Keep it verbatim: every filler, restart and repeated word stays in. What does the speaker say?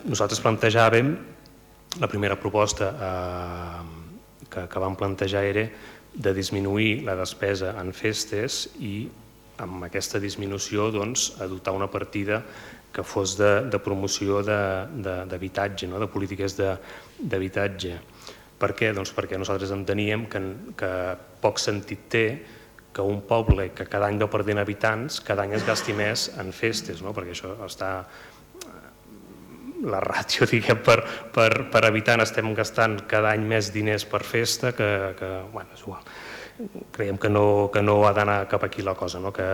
nosaltres plantejàvem, la primera proposta que vam plantejar era de disminuir la despesa en festes i amb aquesta disminució adoptar una partida que fos de promoció d'habitatge, de polítiques d'habitatge. Per què? Doncs perquè nosaltres enteníem que poc sentit té que un poble que cada any va perdent habitants, cada any es gasti més en festes, perquè això està... La ràtio, diguem, per habitant estem gastant cada any més diners per festa que... Bé, és igual. Creiem que no ha d'anar cap aquí la cosa, que